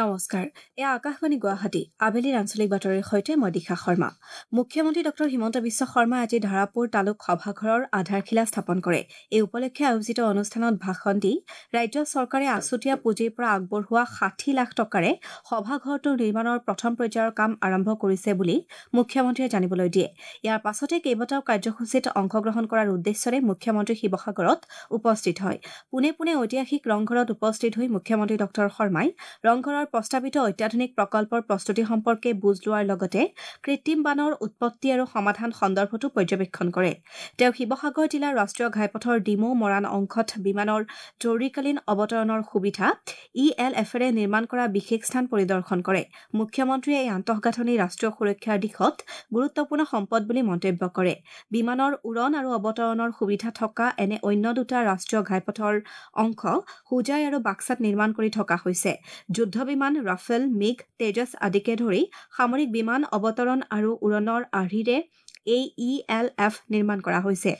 নমস্কাৰ, এয়া আকাশবাণী গুৱাহাটী। আবেলিৰ আঞ্চলিক বাতৰিৰ সৈতে মই দিশা শৰ্মা। মুখ্যমন্ত্ৰী ডঃ হিমন্ত বিশ্ব শৰ্মাই আজি ধাৰাপুৰ তালুক সভাঘৰৰ আধাৰশিলা স্থাপন কৰে। এই উপলক্ষে আয়োজিত অনুষ্ঠানত ভাষণ দি ৰাজ্য চৰকাৰে আছুতীয়া পুঁজিৰ পৰা আগবঢ়োৱা 60 লাখ টকাৰে সভাঘৰটোৰ নিৰ্মাণৰ প্ৰথম পৰ্যায়ৰ কাম আৰম্ভ কৰিছে বুলি মুখ্যমন্ত্ৰীয়ে জানিবলৈ দিয়ে। ইয়াৰ পাছতে কেইবাটাও কাৰ্যসূচীত অংশগ্ৰহণ কৰাৰ উদ্দেশ্যৰে মুখ্যমন্ত্ৰী শিৱসাগৰত উপস্থিত হয়। পোনে পোনে ঐতিহাসিক ৰংঘৰত উপস্থিত হৈ মুখ্যমন্ত্ৰী ডঃ শৰ্মাই ৰংঘৰৰ প্ৰস্তাৱিত অত্যাধুনিক প্ৰকল্পৰ প্ৰস্তুতি সম্পৰ্কে বুজ লোৱাৰ লগতে কৃত্ৰিম বানৰ উৎপত্তি আৰু সমাধান সন্দৰ্ভতো পৰ্যবেক্ষণ কৰে। তেওঁ শিৱসাগৰ জিলাৰ ৰাষ্ট্ৰীয় ঘাইপথৰ ডিমৌ মৰাণ অংশত বিমানৰ জৰুৰীকালীন অৱতৰণৰ সুবিধা ই এল এফেৰে নিৰ্মাণ কৰা বিশেষ স্থান পৰিদৰ্শন কৰে। মুখ্যমন্ত্ৰীয়ে এই আন্তঃগাঁথনি ৰাষ্ট্ৰীয় সুৰক্ষাৰ দিশত গুৰুত্বপূৰ্ণ সম্পদ বুলি মন্তব্য কৰে। বিমানৰ উৰণ আৰু অৱতৰণৰ সুবিধা থকা এনে অন্য দুটা ৰাষ্ট্ৰীয় ঘাইপথৰ অংশ হোজাই আৰু বাক্সাত নিৰ্মাণ কৰি থকা হৈছে। যুদ্ধ বিমান ৰাফেল, মিগ, তেজস আদিকে ধৰি সামৰিক বিমান অৱতৰণ আৰু উৰণৰ আৰ্হিৰে এই ই এল এফ নিৰ্মাণ কৰা হৈছে।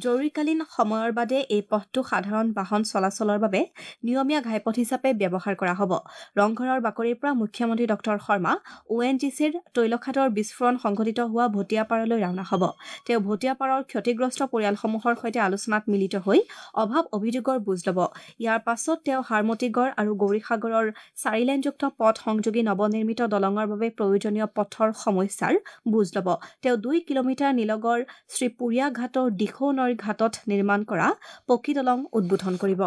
জৰুৰীকালীন সময়ৰ বাদে এই পথটো সাধাৰণ বাহন চলাচলৰ বাবে নিয়মীয়া ঘাইপথ হিচাপে ব্যৱহাৰ কৰা হ'ব। ৰংঘৰৰ বাকৰিৰ পৰা মুখ্যমন্ত্ৰী ডঃ শৰ্মা অ' এন জি চিৰ তৈলখাদৰ বিস্ফোৰণ সংঘটিত হোৱা ভটিয়াপাৰলৈ ৰাওনা হ'ব। তেওঁ ভটিয়াপাৰৰ ক্ষতিগ্ৰস্ত পৰিয়ালসমূহৰ সৈতে আলোচনাত মিলিত হৈ অভাৱ অভিযোগৰ বুজ ল'ব। ইয়াৰ পাছত তেওঁ হাৰমতিগড় আৰু গৌৰীসাগৰৰ চাৰিলেনযুক্ত পথ সংযোগী নৱনিৰ্মিত দলঙৰ বাবে প্ৰয়োজনীয় পথৰ সমস্যাৰ বুজ ল'ব। তেওঁ 2 কিলোমিটাৰ নিলগৰ শ্ৰীপুৰীয়া ঘাটৰ দিখৌ নৈৰ ঘাটত নিৰ্মাণ কৰা পকী দলং উদ্বোধন কৰিব।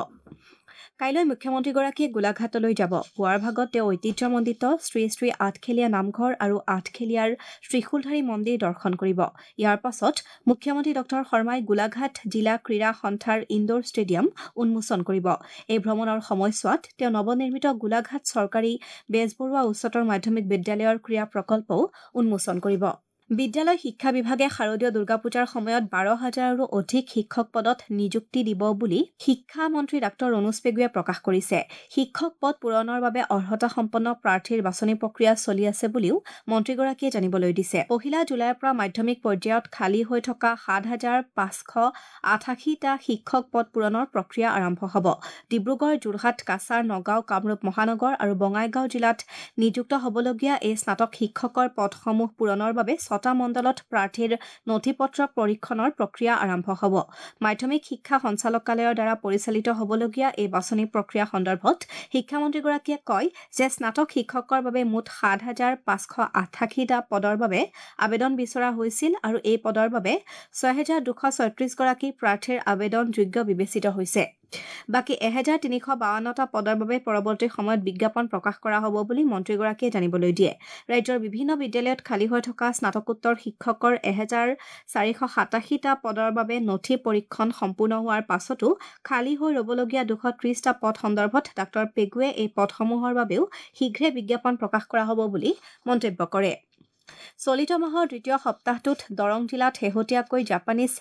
কাইলৈ মুখ্যমন্ত্ৰীগৰাকীয়ে গোলাঘাটলৈ যাব। পুৱাৰ ভাগত তেওঁ ঐতিহ্যমণ্ডিত শ্ৰী শ্ৰী আঠখেলীয়া নামঘৰ আৰু আঠখেলীয়াৰ ত্ৰিশূলধাৰী মন্দিৰ দৰ্শন কৰিব। ইয়াৰ পাছত মুখ্যমন্ত্ৰী ডঃ শৰ্মাই গোলাঘাট জিলা ক্ৰীড়া সন্থাৰ ইণ্ডোৰ ষ্টেডিয়াম উন্মোচন কৰিব। এই ভ্ৰমণৰ সময়ছোৱাত তেওঁ নৱনিৰ্মিত গোলাঘাট চৰকাৰী বেজবৰুৱা উচ্চতৰ মাধ্যমিক বিদ্যালয়ৰ ক্ৰীড়া প্ৰকল্পও উন্মোচন কৰিব। বিদ্যালয় শিক্ষা বিভাগে শাৰদীয় দুৰ্গা পূজাৰ সময়ত 12,000ৰো অধিক শিক্ষক পদত নিযুক্তি দিব বুলি শিক্ষা মন্ত্ৰী ডাঃ ৰণোজ পেগুৱে প্ৰকাশ কৰিছে। শিক্ষক পদ পূৰণৰ বাবে অৰ্হতাসম্পন্ন প্ৰাৰ্থীৰ বাছনি প্ৰক্ৰিয়া চলি আছে বুলিও মন্ত্ৰীগৰাকীয়ে জানিবলৈ দিছে। 1 জুলাইৰ পৰা মাধ্যমিক পৰ্যায়ত খালী হৈ থকা 7,588টা শিক্ষক পদ পূৰণৰ প্ৰক্ৰিয়া আৰম্ভ হ'ব। ডিব্ৰুগড়, যোৰহাট, কাছাৰ, নগাঁও, কামৰূপ মহানগৰ আৰু বঙাইগাঁও জিলাত নিযুক্ত হ'বলগীয়া এই স্নাতক শিক্ষকৰ পদসমূহ পূৰণৰ বাবে 6টা মণ্ডলত প্ৰাৰ্থীৰ নথি পত্ৰ পৰীক্ষণৰ প্ৰক্ৰিয়া আৰম্ভ হ'ব। মাধ্যমিক শিক্ষা সঞ্চালকালয়ৰ দ্বাৰা পৰিচালিত হ'বলগীয়া এই বাছনি প্ৰক্ৰিয়া সন্দৰ্ভত শিক্ষামন্ত্ৰীগৰাকীয়ে কয় যে স্নাতক শিক্ষকৰ বাবে মুঠ 7,588টা পদৰ বাবে আবেদন বিচৰা হৈছিল আৰু এই পদৰ বাবে 6,236 গৰাকী প্ৰাৰ্থীৰ আবেদন যোগ্য বিবেচিত হৈছে। বাকী 1,352টা পদৰ বাবে পৰৱৰ্তী সময়ত বিজ্ঞাপন প্ৰকাশ কৰা হ'ব বুলি মন্ত্ৰীগৰাকীয়ে জানিবলৈ দিয়ে। ৰাজ্যৰ বিভিন্ন বিদ্যালয়ত খালী হৈ থকা স্নাতকোত্তৰ শিক্ষকৰ 1,487টা পদৰ বাবে নথি পৰীক্ষণ সম্পূৰ্ণ হোৱাৰ পাছতো খালী হৈ ৰ'বলগীয়া 230টা পদ সন্দৰ্ভত ডাঃ পেগুৱে এই পদসমূহৰ বাবেও শীঘ্ৰে বিজ্ঞাপন প্ৰকাশ কৰা হ'ব বুলি মন্তব্য কৰে। চলিত মাহৰ দ্বিতীয় সপ্তাহটোত দৰং জিলাত শেহতীয়াকৈ জাপানীজ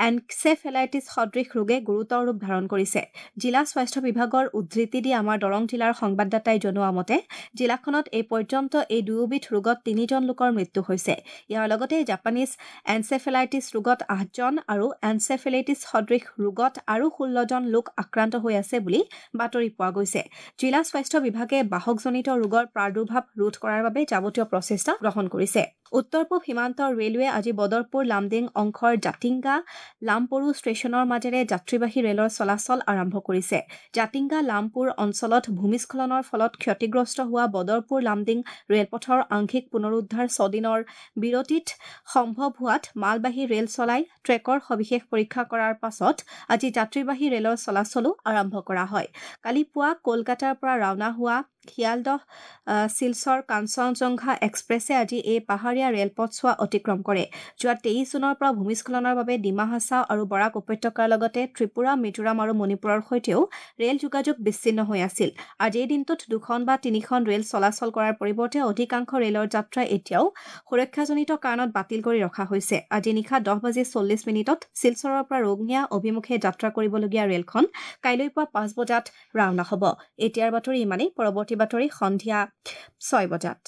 এনচেফেলাইটিছ সদৃশ ৰোগে গুৰুতৰ ৰূপ ধাৰণ কৰিছে। জিলা স্বাস্থ্য বিভাগৰ উদ্ধৃতি দি আমাৰ দৰং জিলাৰ সংবাদদাতাই জনোৱা মতে জিলাখনত এই পৰ্যন্ত এই দুয়োবিধ ৰোগত 3জন লোকৰ মৃত্যু হৈছে। ইয়াৰ লগতে জাপানীজ এনচেফেলাইটিছ ৰোগত 8জন আৰু এনচেফেলাইটিছ সদৃশ ৰোগত আৰু 16জন লোক আক্ৰান্ত হৈ আছে বুলি বাতৰি পোৱা গৈছে। জিলা স্বাস্থ্য বিভাগে বাহকজনিত ৰোগৰ প্ৰাদুৰ্ভাৱ ৰোধ কৰাৰ বাবে যাৱতীয় প্ৰচেষ্টা গ্ৰহণ কৰিছে। উত্তৰ পূব সীমান্ত ৰেলৱে আজি বদৰপুৰ লামডিং অংশৰ জাতিংগা লামপৰু ষ্টেচনৰ মাজেৰে যাত্ৰীবাহী ৰেলৰ চলাচল আৰম্ভ কৰিছে। জাতিংগা লামপুৰ অঞ্চলত ভূমিস্খলনৰ ফলত ক্ষতিগ্ৰস্ত হোৱা বদৰপুৰ লামডিং ৰেলপথৰ আংশিক পুনৰুদ্ধাৰ 6 দিনৰ বিৰতিত সম্ভৱ হোৱাত মালবাহী ৰেল চলাই ট্ৰেকৰ সবিশেষ পৰীক্ষা কৰাৰ পাছত আজি যাত্ৰীবাহী ৰেলৰ চলাচলো আৰম্ভ কৰা হয়। কালি পুৱা কলকাতাৰ পৰা ৰাওনা হোৱা শিয়ালদহ শিলচৰ কাঞ্চনজংঘা এক্সপ্ৰেছে আজি এই পাহাৰীয়া ৰেলপথছোৱা অতিক্ৰম কৰে। যোৱা 23 জুনৰ পৰা ভূমিস্খলনৰ বাবে ডিমা হাছাও আৰু বৰাক উপত্যকাৰ লগতে ত্ৰিপুৰা, মিজোৰাম আৰু মণিপুৰৰ সৈতেও ৰেল যোগাযোগ বিচ্ছিন্ন হৈ আছিল। আজিৰ দিনটোত 2খন বা 3খন ৰেল চলাচল কৰাৰ পৰিৱৰ্তে অধিকাংশ ৰেলৰ যাত্ৰা এতিয়াও সুৰক্ষাজনিত কাৰণত বাতিল কৰি ৰখা হৈছে। আজি নিশা 10:40 শিলচৰৰ পৰা ৰঙিয়া অভিমুখে যাত্ৰা কৰিবলগীয়া ৰেলখন কাইলৈ পুৱা 5 বজাত ৰাওনা হ'ব। এতিয়াৰ বাতৰি ইমানেই। পৰৱৰ্তী বাতৰি সন্ধিয়া 6 বজাত।